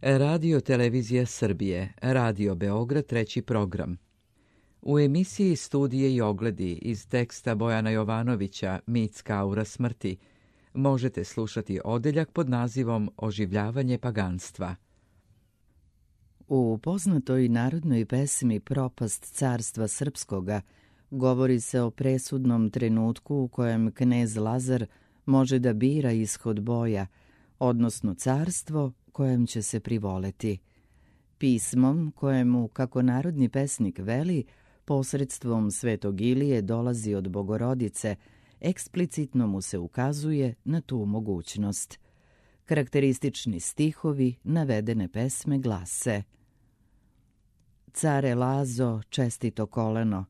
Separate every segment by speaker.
Speaker 1: Radio Televizija Srbije, Radio Beograd, treći program. U emisiji Studije i ogledi iz teksta Bojana Jovanovića Mitska aura smrti možete slušati odeljak pod nazivom Oživljavanje paganstva.
Speaker 2: U poznatoj narodnoj pesmi Propast carstva srpskoga govori se o presudnom trenutku u kojem knez Lazar može da bira ishod boja, odnosno carstvo kojem će se privoleti. Pismom kojemu, kako narodni pesnik veli, posredstvom Svetog Ilije dolazi od Bogorodice, eksplicitno mu se ukazuje na tu mogućnost. Karakteristični stihovi navedene pesme glase: Care Lazo, čestito koleno,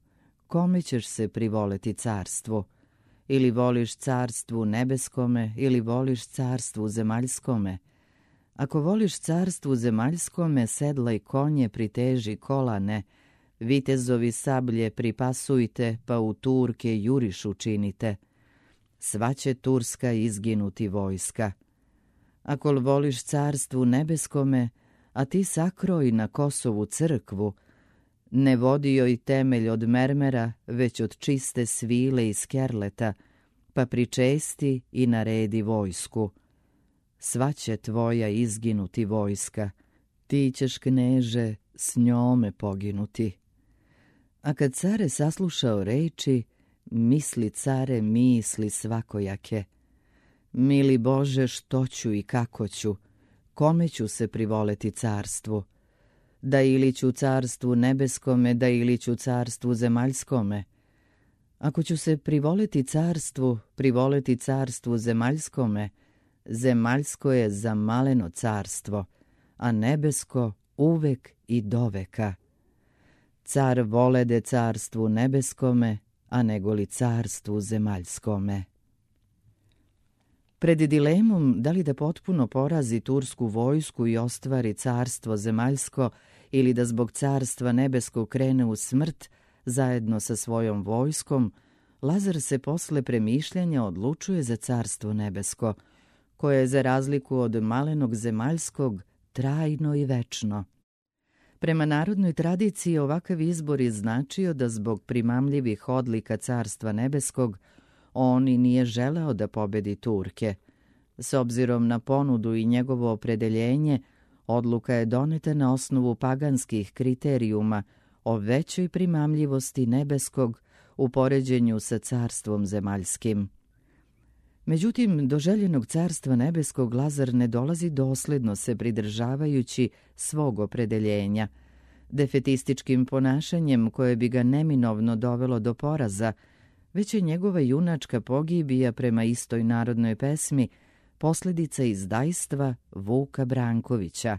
Speaker 2: kome ćeš se privoleti carstvu? Ili voliš carstvu nebeskome, ili voliš carstvu zemaljskome? Ako voliš carstvu zemaljskome, sedlaj konje, priteži kolane, vitezovi sablje pripasujte, pa u Turke juriš učinite. Sva će Turska izginuti vojska. Ako voliš carstvu nebeskome, a ti sakroj na Kosovu crkvu, ne vodi joj temelj od mermera, već od čiste svile i skerleta, pa pričesti i naredi vojsku. Sva će tvoja izginuti vojska, ti ćeš, kneže, s njome poginuti. A kad care saslušao reči, misli care misli svakojake. Mili Bože, što ću i kako ću, kome ću se privoleti carstvu? Da ili ću carstvu nebeskome, da ili ću carstvu zemaljskome. Ako ću se privoleti carstvu zemaljskome, zemaljsko je za maleno carstvo, a nebesko uvek i doveka. Car volede carstvu nebeskome, a negoli carstvu zemaljskome. Pred dilemom da li da potpuno porazi tursku vojsku i ostvari carstvo zemaljsko ili da zbog carstva nebeskog krene u smrt zajedno sa svojom vojskom, Lazar se posle premišljanja odlučuje za carstvo nebesko, koje je za razliku od malenog zemaljskog trajno i večno. Prema narodnoj tradiciji ovakav izbor je značio da zbog primamljivih odlika carstva nebeskog on i nije želeo da pobedi Turke. S obzirom na ponudu i njegovo opredeljenje, odluka je doneta na osnovu paganskih kriterijuma o većoj primamljivosti nebeskog u poređenju sa carstvom zemaljskim. Međutim, do željenog carstva nebeskog Lazar ne dolazi dosledno se pridržavajući svog opredeljenja. Defetističkim ponašanjem koje bi ga neminovno dovelo do poraza, već je njegova junačka pogibija prema istoj narodnoj pesmi posljedica izdajstva Vuka Brankovića.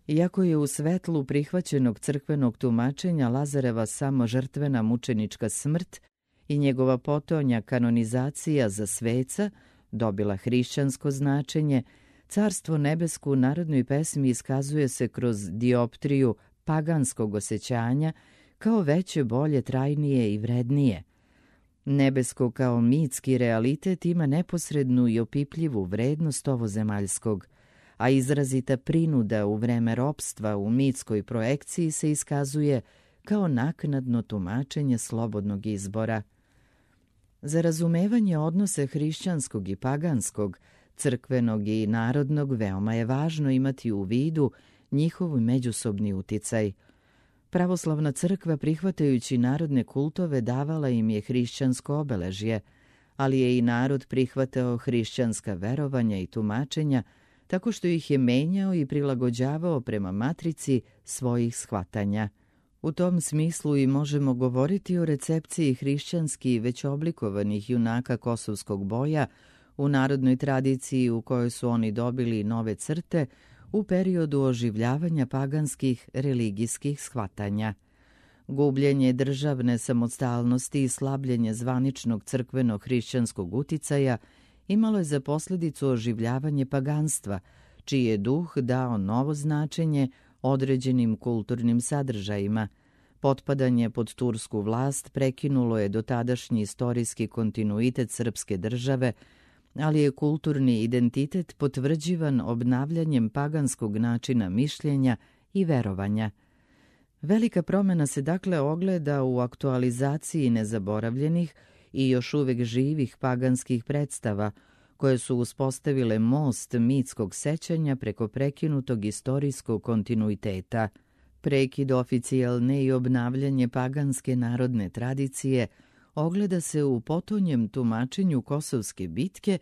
Speaker 2: Iako je u svetlu prihvaćenog crkvenog tumačenja Lazareva samo žrtvena mučenička smrt i njegova potonja kanonizacija za sveca dobila hrišćansko značenje, carstvo nebesko u narodnoj pesmi iskazuje se kroz dioptriju paganskog osjećanja kao veće, bolje, trajnije i vrednije. Nebesko kao mitski realitet ima neposrednu i opipljivu vrednost ovozemaljskog, a izrazita prinuda u vreme ropstva u mitskoj projekciji se iskazuje kao naknadno tumačenje slobodnog izbora. Za razumevanje odnose hrišćanskog i paganskog, crkvenog i narodnog veoma je važno imati u vidu njihov međusobni uticaj. Pravoslavna crkva, prihvatajući narodne kultove, davala im je hrišćansko obeležje, ali je i narod prihvatao hrišćanska verovanja i tumačenja tako što ih je menjao i prilagođavao prema matrici svojih shvatanja. U tom smislu i možemo govoriti o recepciji hrišćanski već oblikovanih junaka kosovskog boja u narodnoj tradiciji u kojoj su oni dobili nove crte u periodu oživljavanja paganskih religijskih shvatanja. Gubljenje državne samostalnosti i slabljenje zvaničnog crkvenog hrišćanskog uticaja imalo je za posljedicu oživljavanje paganstva, čiji je duh dao novo značenje određenim kulturnim sadržajima. Potpadanje pod tursku vlast prekinulo je dotadašnji istorijski kontinuitet srpske države, ali je kulturni identitet potvrđivan obnavljanjem paganskog načina mišljenja i verovanja. Velika promjena se dakle ogleda u aktualizaciji nezaboravljenih i još uvijek živih paganskih predstava, koje su uspostavile most mitskog sećanja preko prekinutog istorijskog kontinuiteta. Prekid oficijalne i obnavljanje paganske narodne tradicije ogleda se u potonjem tumačenju Kosovske bitke,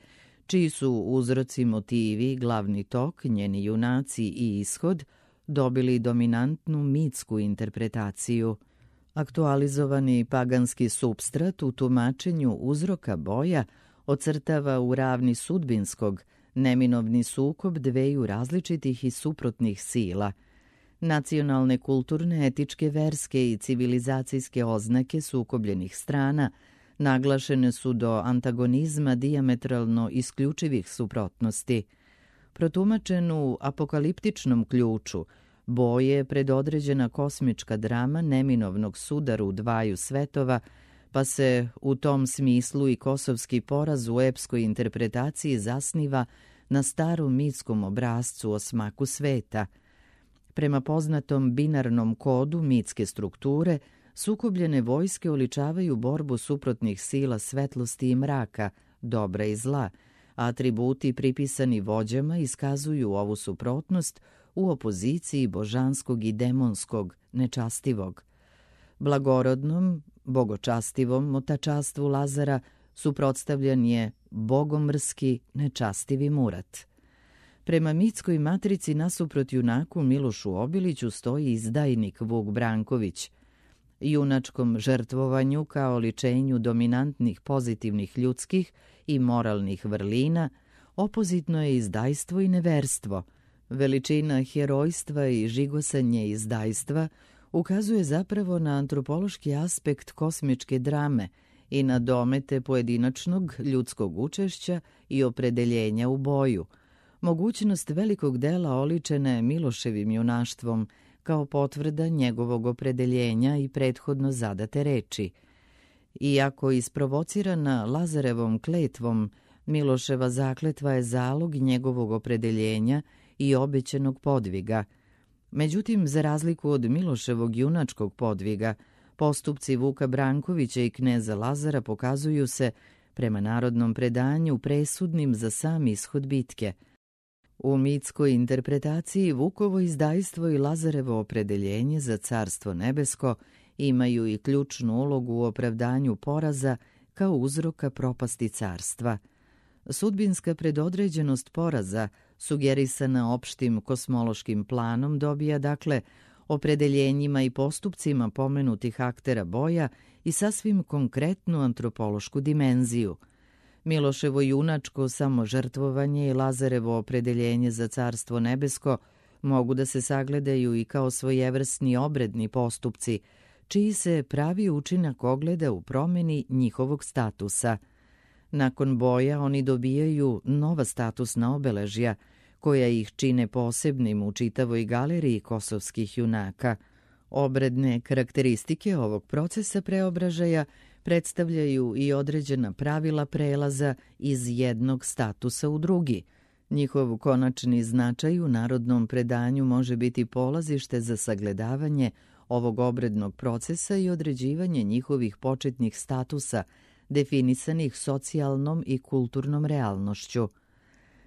Speaker 2: čiji su uzroci, motivi, glavni tok, njeni junaci i ishod dobili dominantnu mitsku interpretaciju. Aktualizovani paganski supstrat u tumačenju uzroka boja ocrtava u ravni sudbinskog neminovni sukob dveju različitih i suprotnih sila. Nacionalne, kulturne, etičke, verske i civilizacijske oznake sukobljenih strana naglašene su do antagonizma dijametralno isključivih suprotnosti. Protumačen u apokaliptičnom ključu, boj je predodređena kosmička drama neminovnog sudaru dvaju svetova, pa se u tom smislu i kosovski poraz u epskoj interpretaciji zasniva na starom mitskom obrascu o smaku sveta. Prema poznatom binarnom kodu mitske strukture, sukobljene vojske oličavaju borbu suprotnih sila svetlosti i mraka, dobra i zla, a atributi pripisani vođama iskazuju ovu suprotnost u opoziciji božanskog i demonskog, nečastivog. Blagorodnom, bogočastivom motačastvu Lazara suprotstavljan je bogomrski, nečastivi Murat. Prema mitskoj matrici nasuprot junaku Milošu Obiliću stoji izdajnik Vuk Branković. Junačkom žrtvovanju kao oličenju dominantnih pozitivnih ljudskih i moralnih vrlina opozitno je izdajstvo i neverstvo. Veličina herojstva i žigosanje izdajstva ukazuje zapravo na antropološki aspekt kosmičke drame i na domete pojedinačnog ljudskog učešća i opredeljenja u boju. Mogućnost velikog dela oličena je Miloševim junaštvom kao potvrda njegovog opredeljenja i prethodno zadate reči. Iako isprovocirana Lazarevom kletvom, Miloševa zakletva je zalog njegovog opredeljenja i obećenog podviga. Međutim, za razliku od Miloševog junačkog podviga, postupci Vuka Brankovića i kneza Lazara pokazuju se, prema narodnom predanju, presudnim za sam ishod bitke. U mitskoj interpretaciji Vukovo izdajstvo i Lazarevo opredeljenje za carstvo nebesko imaju i ključnu ulogu u opravdanju poraza kao uzroka propasti carstva. Sudbinska predodređenost poraza, sugerisana opštim kosmološkim planom, dobija dakle opredeljenjima i postupcima pomenutih aktera boja i sasvim konkretnu antropološku dimenziju. Miloševo junačko samožrtvovanje i Lazarevo opredeljenje za carstvo nebesko mogu da se sagledaju i kao svojevrsni obredni postupci, čiji se pravi učinak ogleda u promjeni njihovog statusa. Nakon boja oni dobijaju nova statusna obeležja, koja ih čine posebnim u čitavoj galeriji kosovskih junaka. Obredne karakteristike ovog procesa preobražaja predstavljaju i određena pravila prelaza iz jednog statusa u drugi. Njihov konačni značaj u narodnom predanju može biti polazište za sagledavanje ovog obrednog procesa i određivanje njihovih početnih statusa, definisanih socijalnom i kulturnom realnošću.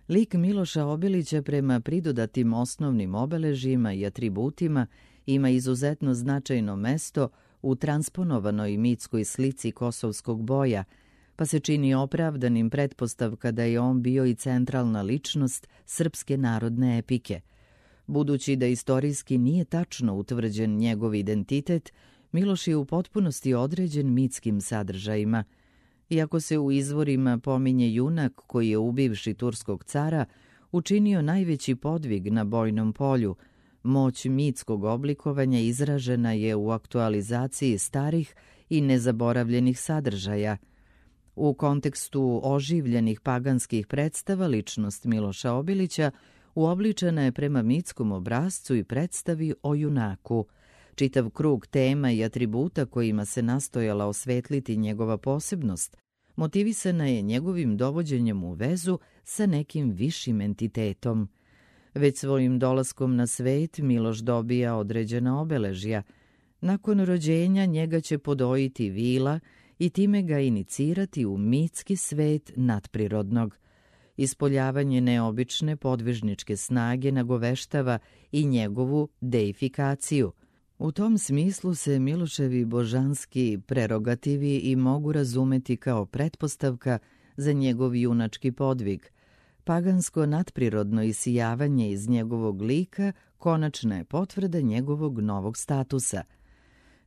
Speaker 2: Lik Miloša Obilića prema pridodatim osnovnim obeležjima i atributima ima izuzetno značajno mesto u transponovanoj mitskoj slici kosovskog boja, pa se čini opravdanim pretpostavka da je on bio i centralna ličnost srpske narodne epike. Budući da istorijski nije tačno utvrđen njegov identitet, Miloš je u potpunosti određen mitskim sadržajima. Iako se u izvorima pominje junak koji je ubivši turskog cara učinio najveći podvig na bojnom polju, moć mitskog oblikovanja izražena je u aktualizaciji starih i nezaboravljenih sadržaja. U kontekstu oživljenih paganskih predstava ličnost Miloša Obilića uobličena je prema mitskom obrascu i predstavi o junaku. Čitav krug tema i atributa kojima se nastojala osvetliti njegova posebnost motivisana je njegovim dovođenjem u vezu sa nekim višim entitetom. Već svojim dolaskom na svet Miloš dobija određena obeležja. Nakon rođenja njega će podojiti vila i time ga inicirati u mitski svet nadprirodnog. Ispoljavanje neobične podvižničke snage nagoveštava i njegovu deifikaciju. U tom smislu se Miloševi božanski prerogativi i mogu razumeti kao pretpostavka za njegov junački podvig. Pagansko nadprirodno isijavanje iz njegovog lika konačna je potvrda njegovog novog statusa.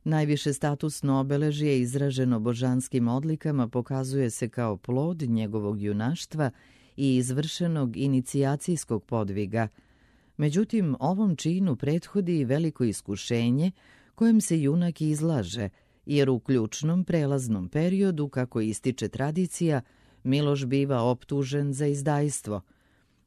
Speaker 2: Najviše statusno obeležje izraženo božanskim odlikama pokazuje se kao plod njegovog junaštva i izvršenog inicijacijskog podviga. Međutim, ovom činu prethodi veliko iskušenje kojem se junak izlaže, jer u ključnom prelaznom periodu, kako ističe tradicija, Miloš biva optužen za izdajstvo.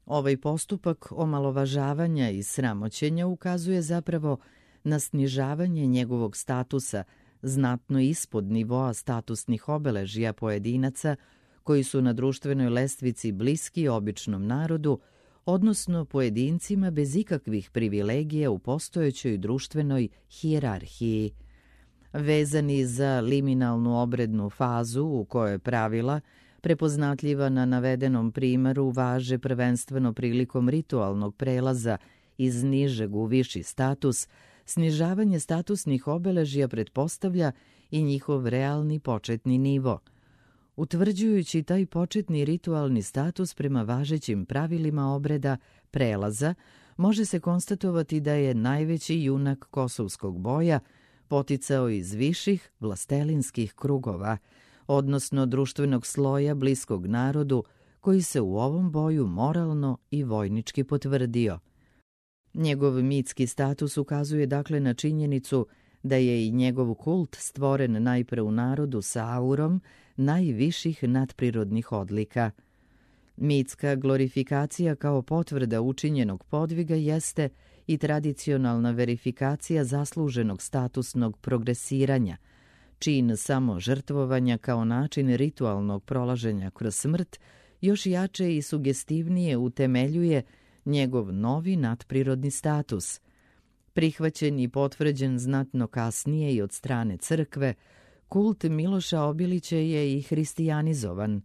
Speaker 2: Ovaj postupak omalovažavanja i sramoćenja ukazuje zapravo na snižavanje njegovog statusa, znatno ispod nivoa statusnih obeležja pojedinaca koji su na društvenoj lestvici bliski običnom narodu, odnosno pojedincima bez ikakvih privilegija u postojećoj društvenoj hijerarhiji. Vezani za liminalnu obrednu fazu u kojoj pravila, prepoznatljiva na navedenom primeru, važe prvenstveno prilikom ritualnog prelaza iz nižeg u viši status, snižavanje statusnih obeležja pretpostavlja i njihov realni početni nivo. Utvrđujući taj početni ritualni status prema važećim pravilima obreda prelaza, može se konstatovati da je najveći junak kosovskog boja poticao iz viših vlastelinskih krugova, odnosno društvenog sloja bliskog narodu, koji se u ovom boju moralno i vojnički potvrdio. Njegov mitski status ukazuje dakle na činjenicu da je i njegov kult stvoren najpre u narodu sa aurom najviših nadprirodnih odlika. Mitska glorifikacija kao potvrda učinjenog podviga jeste i tradicionalna verifikacija zasluženog statusnog progresiranja, čin samožrtvovanja kao način ritualnog prolaženja kroz smrt još jače i sugestivnije utemeljuje njegov novi nadprirodni status. Prihvaćen i potvrđen znatno kasnije i od strane crkve, kult Miloša Obilića je i hristijanizovan.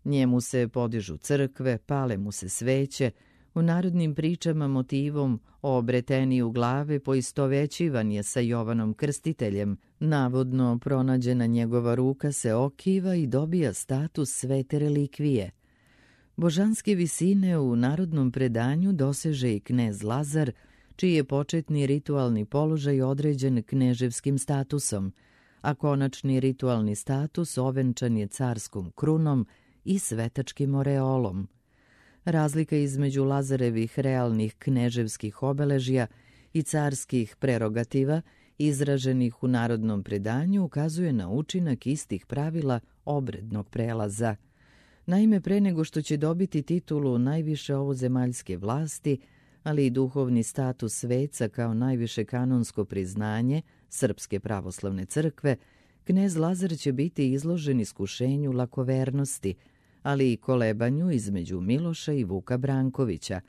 Speaker 2: Njemu se podižu crkve, pale mu se sveće, u narodnim pričama motivom o obreteniju glave poistovećivan je sa Jovanom Krstiteljem. Navodno pronađena njegova ruka se okiva i dobija status svete relikvije. Božanske visine u narodnom predanju doseže i knez Lazar, čiji je početni ritualni položaj određen kneževskim statusom, a konačni ritualni status ovenčan je carskom krunom i svetačkim oreolom. Razlika između Lazarevih realnih kneževskih obeležja i carskih prerogativa, izraženih u narodnom predanju, ukazuje na učinak istih pravila obrednog prelaza. Naime, pre nego što će dobiti titulu najviše ovozemaljske vlasti, ali i duhovni status sveca kao najviše kanonsko priznanje Srpske pravoslavne crkve, knez Lazar će biti izložen iskušenju lakovernosti, ali i kolebanju između Miloša i Vuka Brankovića.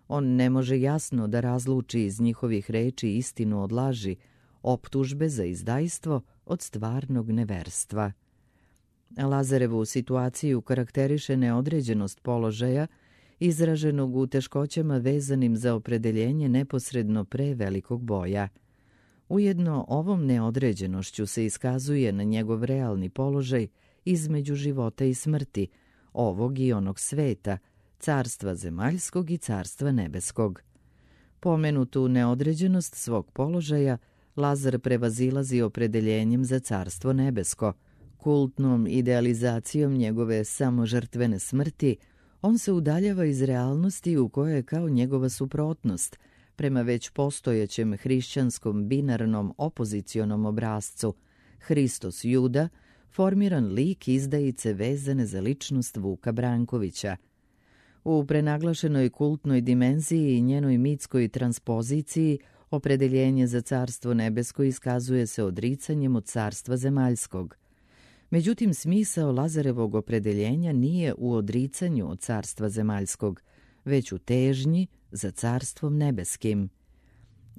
Speaker 2: On ne može jasno da razluči iz njihovih reči istinu od laži, optužbe za izdajstvo od stvarnog neverstva. Lazarevu situaciju karakteriše neodređenost položaja, izraženog u teškoćama vezanim za opredeljenje neposredno pre velikog boja. Ujedno ovom neodređenošću se iskazuje na njegov realni položaj između života i smrti, ovog i onog sveta, carstva zemaljskog i carstva nebeskog. Pomenutu neodređenost svog položaja Lazar prevazilazi opredeljenjem za carstvo nebesko. Kultnom idealizacijom njegove samožrtvene smrti on se udaljava iz realnosti u kojoj je kao njegova suprotnost, prema već postojećem hrišćanskom binarnom opozicionom obrazcu, Hristos Juda, formiran lik izdajice vezane za ličnost Vuka Brankovića. U prenaglašenoj kultnoj dimenziji i njenoj mitskoj transpoziciji opredeljenje za carstvo nebesko iskazuje se odricanjem od carstva zemaljskog. Međutim, smisao Lazarevog opredeljenja nije u odricanju od carstva zemaljskog, već u težnji za carstvom nebeskim.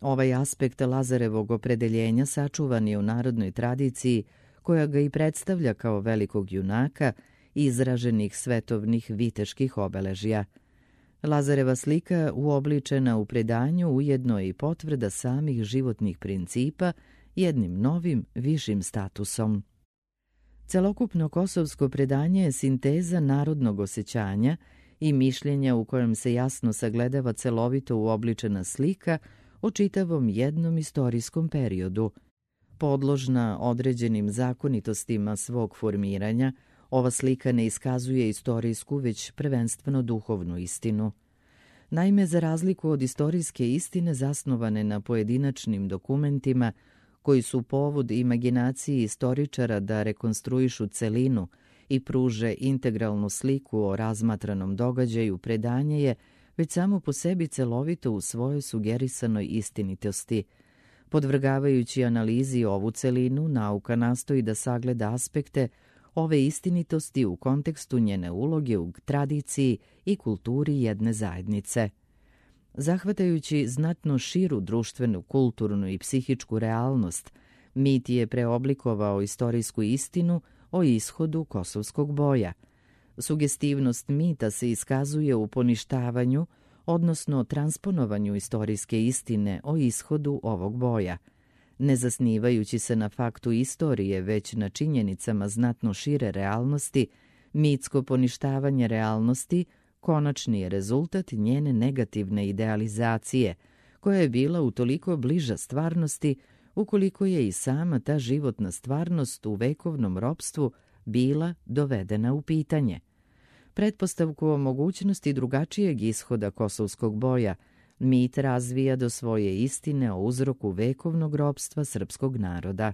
Speaker 2: Ovaj aspekt Lazarevog opredeljenja sačuvan je u narodnoj tradiciji, koja ga i predstavlja kao velikog junaka izraženih svetovnih viteških obeležja. Lazareva slika uobličena u predanju ujedno je i potvrda samih životnih principa jednim novim, višim statusom. Celokupno kosovsko predanje je sinteza narodnog osjećanja i mišljenja u kojem se jasno sagledava celovito uobličena slika o čitavom jednom istorijskom periodu. Podložna određenim zakonitostima svog formiranja, ova slika ne iskazuje istorijsku, već prvenstveno duhovnu istinu. Naime, za razliku od istorijske istine zasnovane na pojedinačnim dokumentima, koji su povod imaginaciji istoričara da rekonstruišu celinu i pruže integralnu sliku o razmatranom događaju, predanje je već samo po sebi celovito u svojoj sugerisanoj istinitosti. Podvrgavajući analizi ovu celinu, nauka nastoji da sagleda aspekte ove istinitosti u kontekstu njene uloge u tradiciji i kulturi jedne zajednice. Zahvatajući znatno širu društvenu, kulturnu i psihičku realnost, mit je preoblikovao istorijsku istinu o ishodu kosovskog boja. Sugestivnost mita se iskazuje u poništavanju, odnosno transponovanju istorijske istine o ishodu ovog boja. Ne zasnivajući se na faktu istorije, već na činjenicama znatno šire realnosti, mitsko poništavanje realnosti konačni je rezultat njene negativne idealizacije, koja je bila utoliko bliža stvarnosti, ukoliko je i sama ta životna stvarnost u vekovnom ropstvu bila dovedena u pitanje. Pretpostavku o mogućnosti drugačijeg ishoda kosovskog boja mit razvija do svoje istine o uzroku vekovnog ropstva srpskog naroda.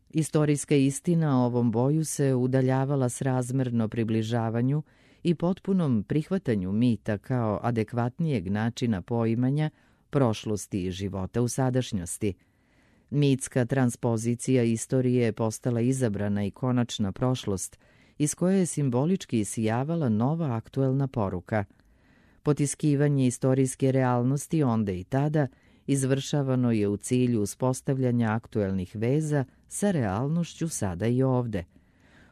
Speaker 2: Istorijska istina o ovom boju se udaljavala srazmerno približavanju i potpunom prihvatanju mita kao adekvatnijeg načina poimanja prošlosti i života u sadašnjosti. Mitska transpozicija istorije je postala izabrana i konačna prošlost, iz koje je simbolički isijavala nova aktuelna poruka. Potiskivanje istorijske realnosti onda i tada izvršavano je u cilju uspostavljanja aktuelnih veza sa realnošću sada i ovde.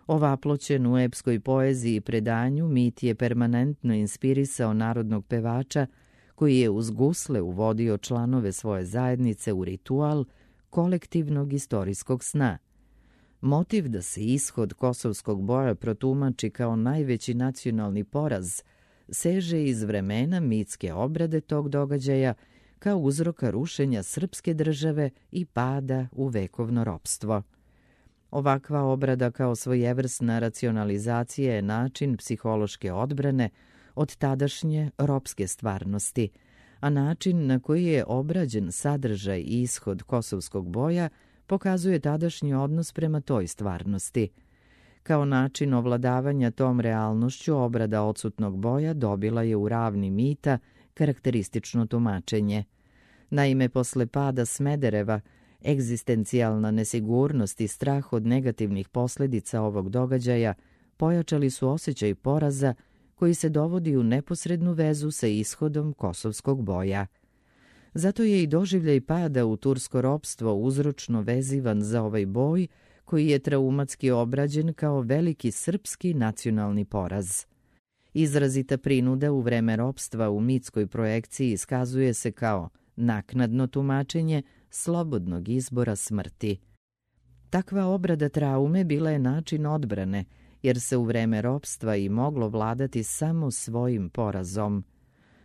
Speaker 2: Ovaploćen u epskoj poeziji i predanju, mit je permanentno inspirisao narodnog pevača, koji je uz gusle uvodio članove svoje zajednice u ritual kolektivnog istorijskog sna. Motiv da se ishod kosovskog boja protumači kao najveći nacionalni poraz seže iz vremena mitske obrade tog događaja kao uzroka rušenja srpske države i pada u vekovno ropstvo. Ovakva obrada kao svojevrsna racionalizacija je način psihološke odbrane od tadašnje ropske stvarnosti, a način na koji je obrađen sadržaj i ishod kosovskog boja pokazuje tadašnji odnos prema toj stvarnosti. Kao način ovladavanja tom realnošću, obrada odsutnog boja dobila je u ravni mita karakteristično tumačenje. Naime, posle pada Smedereva, egzistencijalna nesigurnost i strah od negativnih posljedica ovog događaja pojačali su osjećaj poraza koji se dovodi u neposrednu vezu sa ishodom kosovskog boja. Zato je i doživljaj pada u tursko ropstvo uzročno vezivan za ovaj boj, koji je traumatski obrađen kao veliki srpski nacionalni poraz. Izrazita prinuda u vreme ropstva u mitskoj projekciji iskazuje se kao naknadno tumačenje slobodnog izbora smrti. Takva obrada traume bila je način odbrane, jer se u vreme ropstva i moglo vladati samo svojim porazom.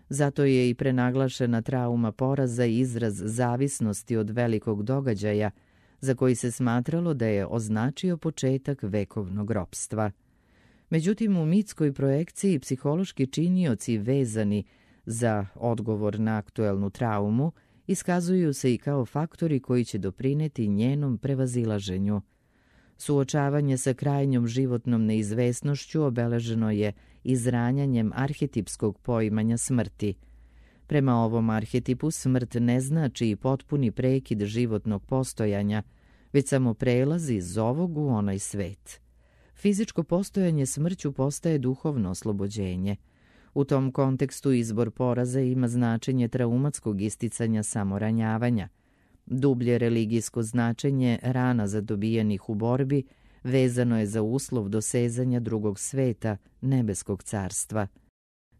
Speaker 2: Zato je i prenaglašena trauma poraza izraz zavisnosti od velikog događaja, za koji se smatralo da je označio početak vekovnog ropstva. Međutim, u mitskoj projekciji psihološki činioci vezani za odgovor na aktuelnu traumu iskazuju se i kao faktori koji će doprineti njenom prevazilaženju. Suočavanje sa krajnjom životnom neizvesnošću obeleženo je izranjanjem arhetipskog poimanja smrti. Prema ovom arhetipu smrt ne znači i potpuni prekid životnog postojanja, već samo prelaz iz ovog u onaj svet. Fizičko postojanje smrću postaje duhovno oslobođenje. U tom kontekstu izbor poraza ima značenje traumatskog isticanja samoranjavanja. Dublje religijsko značenje rana zadobijenih u borbi vezano je za uslov dosezanja drugog sveta, nebeskog carstva.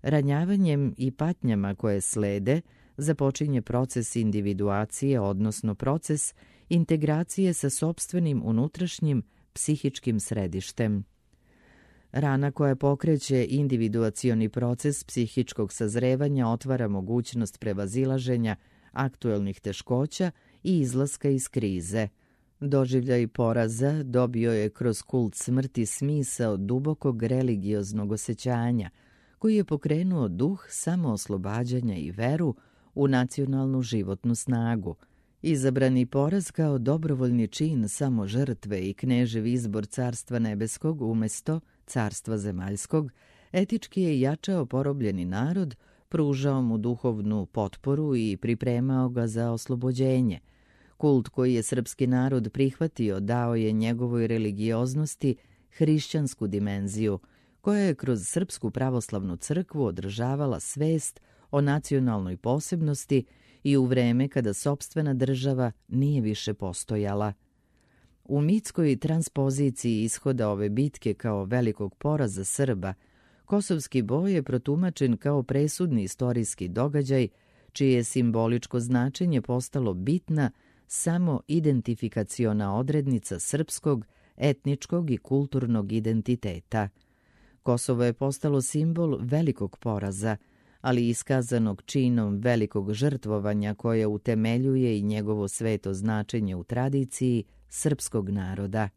Speaker 2: Ranjavanjem i patnjama koje slede započinje proces individuacije, odnosno proces integracije sa sopstvenim unutrašnjim psihičkim središtem. Rana koja pokreće individuacioni proces psihičkog sazrevanja otvara mogućnost prevazilaženja aktuelnih teškoća i izlaska iz krize. Doživljaj poraza dobio je kroz kult smrti smisao dubokog religioznog osjećanja, koji je pokrenuo duh samooslobađanja i veru u nacionalnu životnu snagu. Izabrani poraz kao dobrovoljni čin samo žrtve i knežev izbor carstva nebeskog umjesto carstva zemaljskog, etički je jačao porobljeni narod, pružao mu duhovnu potporu i pripremao ga za oslobođenje. Kult koji je srpski narod prihvatio dao je njegovoj religioznosti hrišćansku dimenziju, koja je kroz Srpsku pravoslavnu crkvu održavala svest o nacionalnoj posebnosti i u vreme kada sopstvena država nije više postojala. U mitskoj transpoziciji ishoda ove bitke kao velikog poraza Srba, kosovski boj je protumačen kao presudni istorijski događaj, čije je simboličko značenje postalo bitna samo identifikaciona odrednica srpskog, etničkog i kulturnog identiteta. Kosovo je postalo simbol velikog poraza, ali iskazanog činom velikog žrtvovanja koje utemeljuje i njegovo sveto značenje u tradiciji srpskog naroda.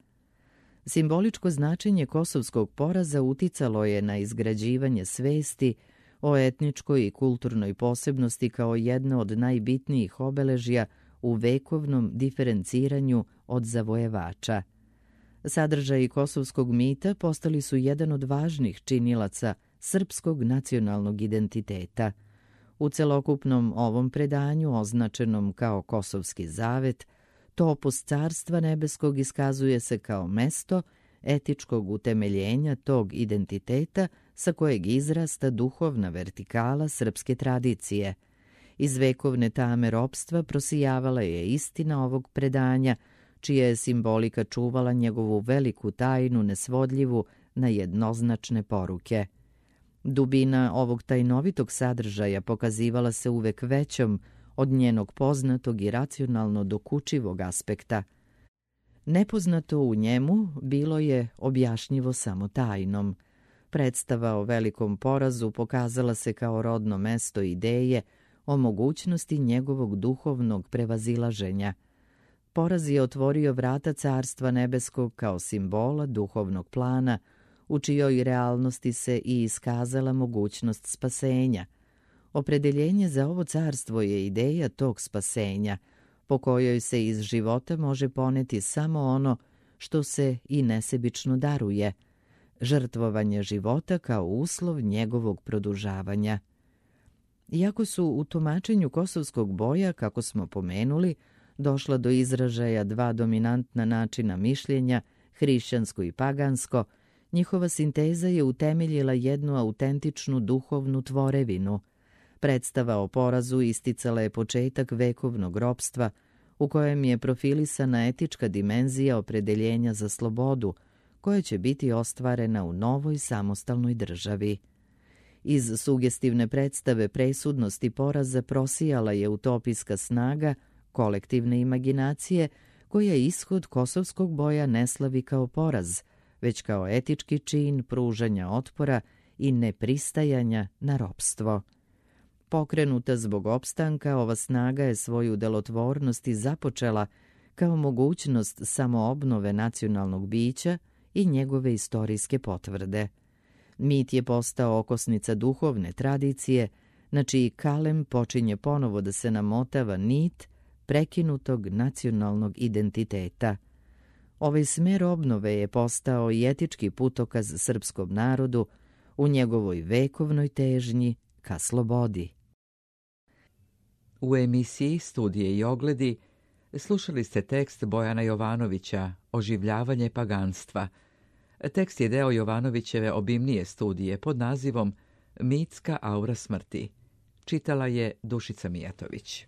Speaker 2: Simboličko značenje kosovskog poraza uticalo je na izgrađivanje svesti o etničkoj i kulturnoj posebnosti kao jedno od najbitnijih obeležja u vekovnom diferenciranju od zavojevača. Sadržaji kosovskog mita postali su jedan od važnih činilaca srpskog nacionalnog identiteta. U celokupnom ovom predanju, označenom kao Kosovski zavet, topos carstva nebeskog iskazuje se kao mesto etičkog utemeljenja tog identiteta sa kojeg izrasta duhovna vertikala srpske tradicije. Iz vekovne tame ropstva prosijavala je istina ovog predanja, čija je simbolika čuvala njegovu veliku tajnu nesvodljivu na jednoznačne poruke. Dubina ovog tajnovitog sadržaja pokazivala se uvek većom od njenog poznatog i racionalno dokučivog aspekta. Nepoznato u njemu bilo je objašnjivo samo tajnom. Predstava o velikom porazu pokazala se kao rodno mesto ideje o mogućnosti njegovog duhovnog prevazilaženja. Poraz je otvorio vrata carstva nebeskog kao simbola duhovnog plana, u čijoj realnosti se i iskazala mogućnost spasenja. Opredeljenje za ovo carstvo je ideja tog spasenja, po kojoj se iz života može poneti samo ono što se i nesebično daruje, žrtvovanje života kao uslov njegovog produžavanja. Iako su u tumačenju kosovskog boja, kako smo pomenuli, došla do izražaja dva dominantna načina mišljenja, hrišćansko i pagansko, njihova sinteza je utemeljila jednu autentičnu duhovnu tvorevinu. Predstava o porazu isticala je početak vekovnog ropstva, u kojem je profilisana etička dimenzija opredeljenja za slobodu, koja će biti ostvarena u novoj samostalnoj državi. Iz sugestivne predstave presudnosti poraza prosijala je utopijska snaga kolektivne imaginacije, koja ishod kosovskog boja ne slavi kao poraz, već kao etički čin pružanja otpora i nepristajanja na ropstvo. Pokrenuta zbog opstanka, ova snaga je svoju delotvornost i započela kao mogućnost samoobnove nacionalnog bića i njegove istorijske potvrde. Mit je postao okosnica duhovne tradicije, na čiji kalem počinje ponovo da se namotava nit prekinutog nacionalnog identiteta. Ovaj smer obnove je postao i etički putokaz srpskom narodu u njegovoj vekovnoj težnji ka slobodi.
Speaker 1: U emisiji Studije i ogledi Slušali ste tekst Bojana Jovanovića, Oživljavanje paganstva. Tekst je deo Jovanovićeve obimnije studije pod nazivom Mitska aura smrti. Čitala je Dušica Mijatović.